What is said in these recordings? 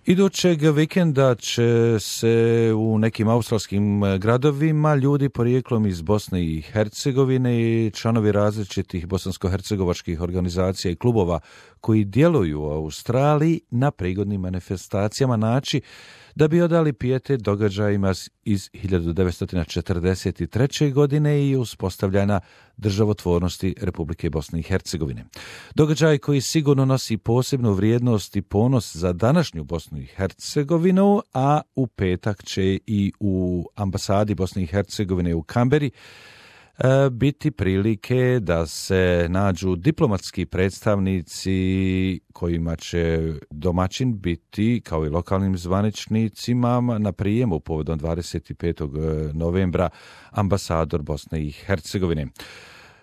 Idućeg vikenda će se u nekim australskim gradovima ljudi porijeklom iz Bosne i Hercegovine i članovi različitih bosansko-hercegovačkih organizacija i klubova koji djeluju u Australiji na prigodnim manifestacijama naći da bi odali pijetet događajima iz 1943. godine i uspostavljanja državotvornosti Republike Bosne i Hercegovine. Događaj koji sigurno nosi posebnu vrijednost i ponos za današnju Bosnu i Hercegovinu, a u petak će i u ambasadi Bosne i Hercegovine u Kamberi biti prilike da se nađu diplomatski predstavnici kojima će domaćin biti, kao i lokalnim zvaničnicima, na prijemu povodom 25. novembra ambasador Bosne i Hercegovine.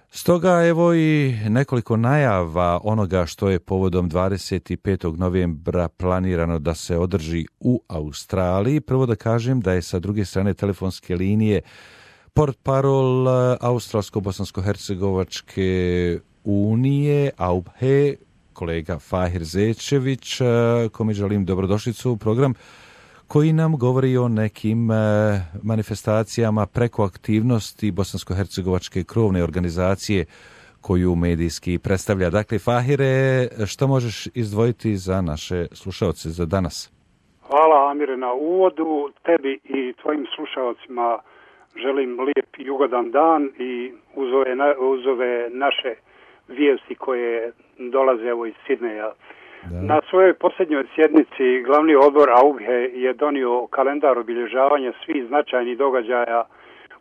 Stoga evo i nekoliko najava onoga što je povodom 25. novembra planirano da se održi u Australiji. Prvo da kažem da je sa druge strane telefonske linije portparol Australsko-bosansko-hercegovačke unije, AUBHE, kolega Fahir Zečević, kome želim dobrodošlicu u program, koji nam govori o nekim manifestacijama preko aktivnosti bosansko-hercegovačke krovne organizacije koju medijski predstavlja. Dakle, Fahire, što možeš izdvojiti za naše slušaoce za danas? Hvala, Amire, na uvodu. Tebi i tvojim slušaocima želim lijep i ugodan dan i uz ove naše vijesti koje dolaze evo iz Sidneja. Na svojoj posljednjoj sjednici glavni odbor AUBHE je donio kalendar obilježavanja svih značajnih događaja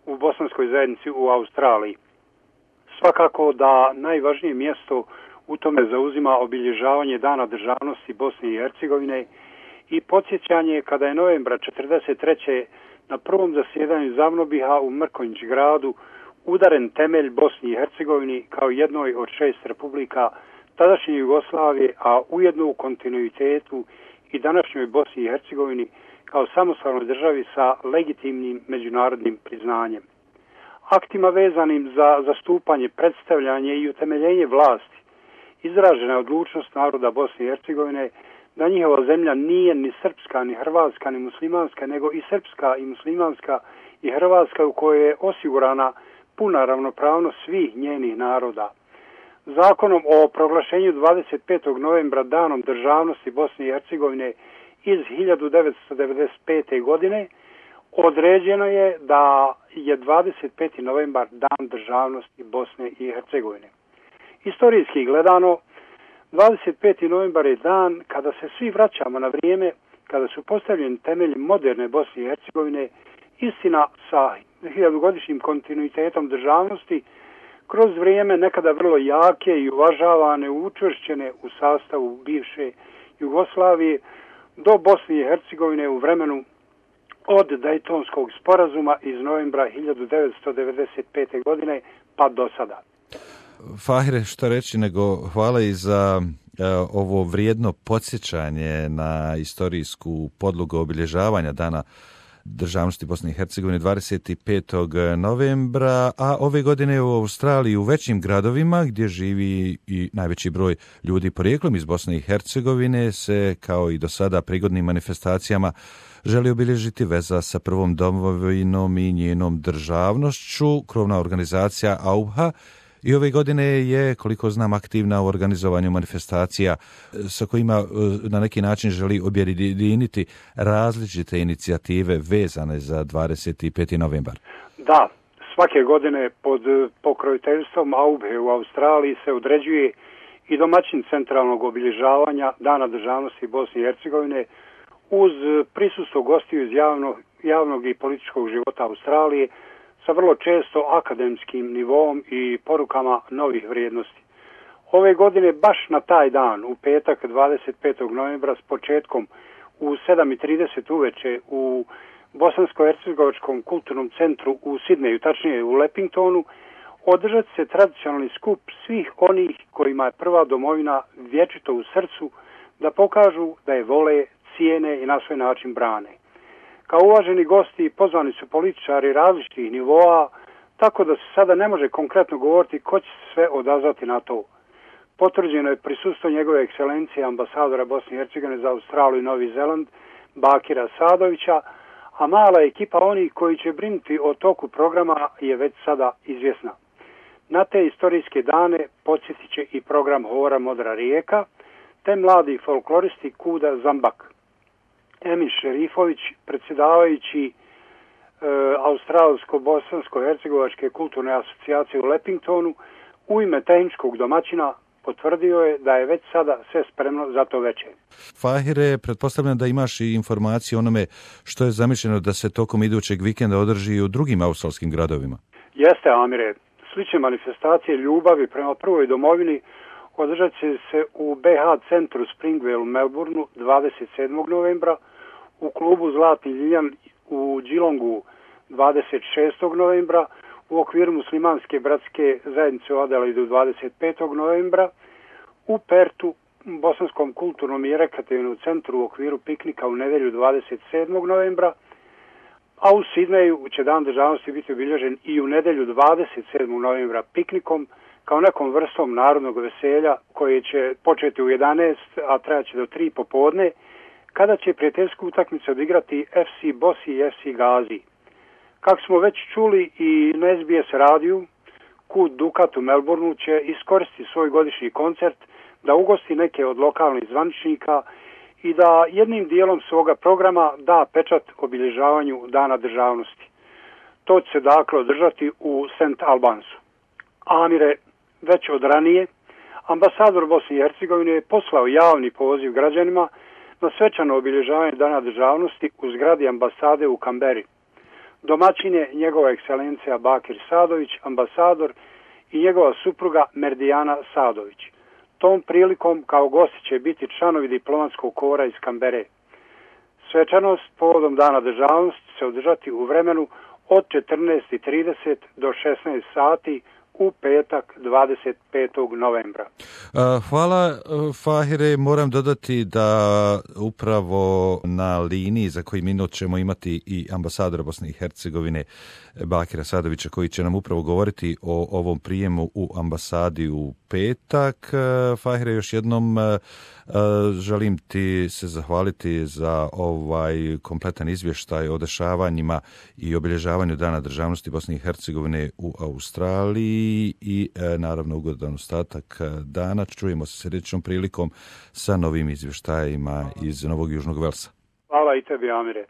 u bosanskoj zajednici u Australiji. Svakako da najvažnije mjesto u tome zauzima obilježavanje Dana državnosti Bosne i Hercegovine i podsjećanje kada je novembra 1943. na prvom zasjedanju Zavnobiha u Mrkonjić gradu udaren temelj Bosni i Hercegovini kao jednoj od 6 republika tadašnje Jugoslavije, a ujedno u kontinuitetu i današnjoj Bosni i Hercegovini kao samostalnoj državi sa legitimnim međunarodnim priznanjem. Aktima vezanim za zastupanje, predstavljanje i utemeljenje vlasti izražena je odlučnost naroda Bosne i Hercegovine da njihova zemlja nije ni srpska, ni hrvatska, ni muslimanska, nego i srpska i muslimanska i hrvatska u kojoj je osigurana puna ravnopravnost svih njenih naroda. Zakonom o proglašenju 25. novembra danom državnosti Bosne i Hercegovine iz 1995. godine određeno je da je 25. novembar dan državnosti Bosne i Hercegovine. Istorijski gledano, 25. novembar je dan kada se svi vraćamo na vrijeme, kada su postavljeni temelji moderne Bosne i Hercegovine, istina sa 1000-godišnjim kontinuitetom državnosti, kroz vrijeme nekada vrlo jake i uvažavane, učvršćene u sastavu bivše Jugoslavije, do Bosne i Hercegovine u vremenu od Daytonskog sporazuma iz novembra 1995. godine pa do sada. Fahire, što reći nego hvala i za ovo vrijedno podsjećanje na istorijsku podlogu obilježavanja Dana državnosti Bosne i Hercegovine 25. novembra, a ove godine u Australiji u većim gradovima gdje živi i najveći broj ljudi porijeklom iz Bosne i Hercegovine se, kao i do sada, prigodnim manifestacijama želi obilježiti veza sa prvom domovinom i njenom državnošću. Krovna organizacija AUBHA i ove godine je, koliko znam, aktivna u organizovanju manifestacija sa kojima na neki način želi objediniti različite inicijative vezane za 25. novembar. Da, svake godine pod pokroviteljstvom AUBHE u Australiji se određuje i domaćin centralnog obilježavanja Dana državnosti Bosne i Hercegovine uz prisustvo gostiju iz javnog i političkog života Australije sa vrlo često akademskim nivom i porukama novih vrijednosti. Ove godine baš na taj dan, u petak 25. novembra s početkom u 7:30 uveče u Bosansko-hercegovačkom kulturnom centru u Sidneju, tačnije u Lepingtonu, održat se tradicionalni skup svih onih kojima je prva domovina vječito u srcu da pokažu da je vole, cijene i na svoj način brane. Kao uvaženi gosti pozvani su političari različitih nivoa, tako da se sada ne može konkretno govoriti ko će se sve odazvati na to. potvrđeno je prisustvo njegove ekscelencije ambasadora Bosne i Hercegovine za Australiju i Novi Zeland Bakira Sadovića, a mala ekipa onih koji će brinuti o toku programa je već sada izvjesna. Na te istorijske dane podsjetit će i program Hora Modra rijeka, te mladi folkloristi Kuda Zambak. Emin Šerifović, predsjedavajući Australsko-Bosansko-Hercegovačke kulturne asocijacije u Lepingtonu, u ime tehničkog domaćina potvrdio je da je već sada sve spremno za to veče. Fahire, pretpostavljam da imaš i informacije o onome što je zamišljeno da se tokom idućeg vikenda održi i u drugim australskim gradovima. Jeste, Amire. Slične manifestacije ljubavi prema prvoj domovini održat će se u BH centru Springvale u Melbourneu 27. novembra, u klubu Zlatni Ljiljan u Geelongu 26. novembra, u okviru muslimanske bratske zajednice u Adelaidu 25. novembra, u Pertu, Bosanskom kulturnom i rekreativnom centru u okviru piknika u nedjelju 27. novembra, a u Sidneju će Dan državnosti biti obilježen i u nedjelju 27. novembra piknikom kao nekom vrstom narodnog veselja koje će početi u 11, a trajaće do 3 popodne, kada će prijateljsku utakmicu odigrati FC Bosi i FC Gazi. Kako smo već čuli i na SBS radiju, Kud Dukat u Melbourneu će iskoristiti svoj godišnji koncert da ugosti neke od lokalnih zvaničnika i da jednim dijelom svoga programa da pečat obilježavanju Dana državnosti. To će se dakle održati u St. Albansu. Amire, već od ranije, ambasador Bosne i Hercegovine je poslao javni poziv građanima na svečano obilježavanje Dana državnosti u zgradi ambasade u Kamberi. Domaćin je njegova ekscelencija Bakir Sadović, ambasador, i njegova supruga Merdijana Sadović. Tom prilikom kao gosti će biti članovi diplomatskog kora iz Kambere. Svečanost povodom Dana državnosti se održati u vremenu od 14:30 do 16 sati u petak 25. novembra. Hvala, Fahire. Moram dodati da upravo na liniji za koji minut ćemo imati i ambasadora Bosne i Hercegovine Bakira Sadovića, koji će nam upravo govoriti o ovom prijemu u ambasadi u petak. Fahire, još jednom želim ti se zahvaliti za ovaj kompletan izvještaj o dešavanjima i obilježavanju Dana državnosti Bosne i Hercegovine u Australiji i naravno ugodan ostatak dana. Čujemo se sljedećom prilikom sa novim izvještajima iz Novog Južnog Velsa. Hvala i tebi, Amire.